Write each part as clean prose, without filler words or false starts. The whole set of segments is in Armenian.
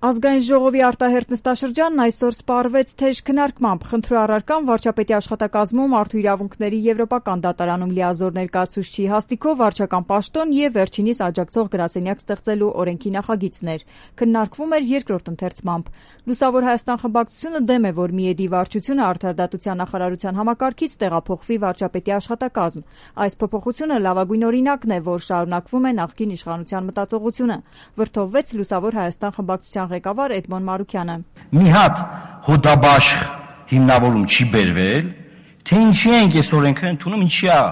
Ազգային ժողովի արտահերթ նստաշրջանն այսօր սպառվեց թեժ քննարկմամբ։ Խնդրու առարկան վարչապետի աշխատակազմում Մարդու իրավունքների եվրոպական դատարանում լիազոր ներկայացուցչի հաստիքով վարչական պաշտոն եւ վերջինիս աջակցող գրասենյակ ստեղծելու օրենքի նախագիծն էր։ Քննարկվում էր երկրորդ ընթերցմամբ։ Լուսավոր Հայաստան խմբակցությունը դեմ է, որ Միեդի վարչությունը Արդարադատության նախարարության համակարգից տեղափոխվի վարչապետի աշխատակազմ։ Այս փոփոխությունը լավագույն օրինակն է, որ շարունակվում է նախկին իշխանության մտածողությունը, վրդովվեց Լուսավոր Հայաստան խմբակցության ղեկավար Էդմոն Մարուքյանը։ Մի հատ հոդաբաշխ հիմնավորում չի բերվել, թե ինչի ենք այս օրենքը ընդունում, ինչի է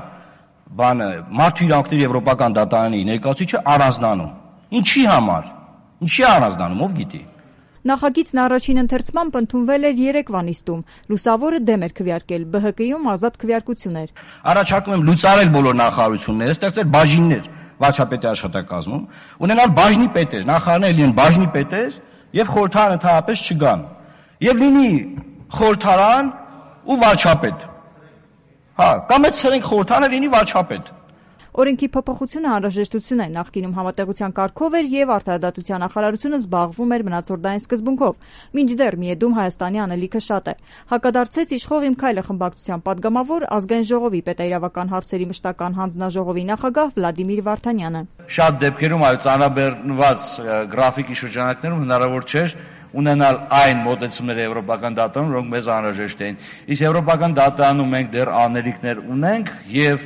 բանը Մարդու իրավունքների եվրոպական դատարանի ներկայացուցիչը առանձնանում։ Ինչի համար։ Ինչի է առանձնանում, ով գիտի։ Նախագիծն առաջին ընթերցմամբ ընդունվել էր երեկվա նիստում։ Լուսավորը դեմ էր քվեարկել, ԲՀԿ-ում ազատ քվեարկություն էր։ Առաջարկում եմ լուծարել բոլոր նախարարությունները, ստեղծել բաժիններ վարչապետի աշխատակազմում, ունենալ բաժնի պետեր, նախարարները լինեն բաժնի պետեր եւ խորհրդարան ընդհանրապես չգան։ Եվ լինի խորհրդարան ու վարչապետ։ Կամ այդ ցերենք խորհրդարանը լինի վարչապետ։ Օրենքի փոփոխությունը անհրաժեշտություն է, նախկինում համատեղության կարգով էր եւ Արդարադատության նախարարությունը զբաղվում էր մնացորդային սկզբունքով, մինչդեռ Միեդում Հայաստանի անելիքը շատ է։ Հակադարձեց Իշխող իմ քայլը խմբակցության падգամավոր Ազգային ժողովի պետաիրավական հարցերի մշտական հանձնաժողովի նախագահ Վլադիմիր Վարդանյանը։ Շատ դեպքերում այլ ծանրաբեռնված գրաֆիկի շրջանակներում հնարավոր չէր ունենալ այն մոտեցումները եվրոպական դատարանում, որոնք մեզ անհրաժեշտ էին։ Իսկ եվրոպական դատարանում մենք դեռ անելիքներ ունենք եւ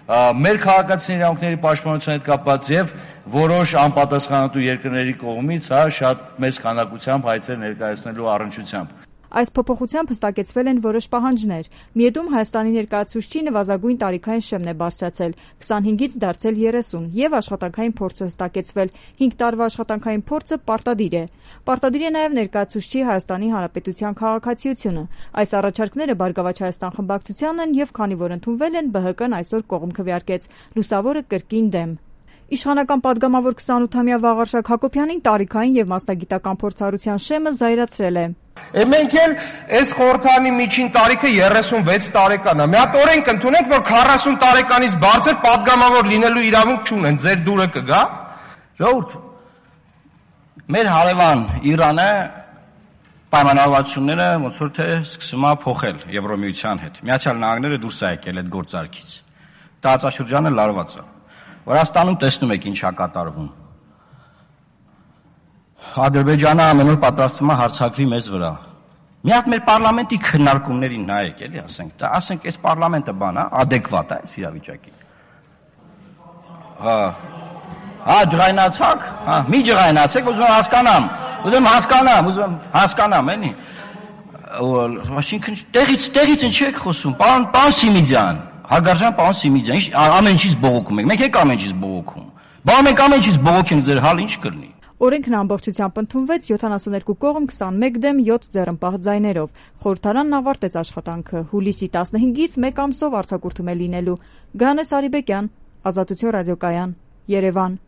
մեր քաղաքացիների իրավունքների պաշտպանության հետ կապված եւ որոշ անպատասխանատու երկրների կողմից շատ մեծ քանակությամբ հայցեր ներկայացնելու առնչությամբ։ Այս փոփոխությամբ հստակեցվել են որոշ պահանջներ։ Միեդում Հայաստանի ներկայացուցչի նվազագույն տարիքային շեմն է բարձրացել 25-ից դարձել 30 եւ աշխատանքային փորձը հստակեցվել 5 տարվա աշխատանքային փորձը պարտադիր է։ Պարտադիր է նաեւ ներկայացուցչի Հայաստանի Հանրապետության քաղաքացիությունը։ Այս առաջարկները Բարգավաճ Հայաստան խմբակցությանն են եւ քանի որ ընդունվել են, ԲՀԿ-ն այսօր կողմ քվեարկեց։ Լուսավորը կրկին դեմ։ Իշխանական падգամավոր 28-ամյա Վաղարշակ Հակոբյանին տարիքային եւ մասնագիտական փորձառության շեմը զայրացրել է։ Մենք էլ այս խորհրդարանի միջին տարիքը 36 տարեկան է։ Մի հատ օրենք ընդունենք, որ 40 տարեկանից բարձր падգամավոր լինելու իրավունք չունեն, ձեր դուրը կգա։ Ժողովուրդ, մեր հարևան Իրանը պայմանավորվածությունները ոնց որ թե սկսում է փոխել Եվրոմիության հետ։ Միացյալ Նահանգները դուրս է եկել այդ գործարքից։ Տարածաշրջանը լարված է։ Վրաստանում տեսնում եք ինչ է կատարվում։ Ադրբեջանը ամեն օր պատրաստվում է հարձակվի մեզ վրա։ Մի հատ մեր պարլամենտի քննարկումներին նայեք, էլի ասենք այս պարլամենտը բան է, adekvat է այս իրավիճակին։ Ջղայնացաք, մի ջղայնացեք, ուզում հասկանամ, էլի։ Այսինքն տեղից ինչ եք խոսում, պարոն Սիմիդյան, Հարգարժան պարոն Սիմիդյան, ամեն ինչից բողոքում եք, մենք եք ամեն ինչից բողոքում։ Բա մենք ամեն ինչից բողոքենք, ձեր հալ ինչ կլինի։ Օրենքն ամբողջությամբ ընդունվեց 72 կողմ 21 դեմ 7 ձեռնպահ ձայներով։ Խորհրդարանն ավարտեց աշխատանքը։ Հուլիսի 15-ից 1 ամսով արձակուրդում է լինելու։ Գանես Արիբեկյան, Ազատություն ռադիոկայան, Երևան։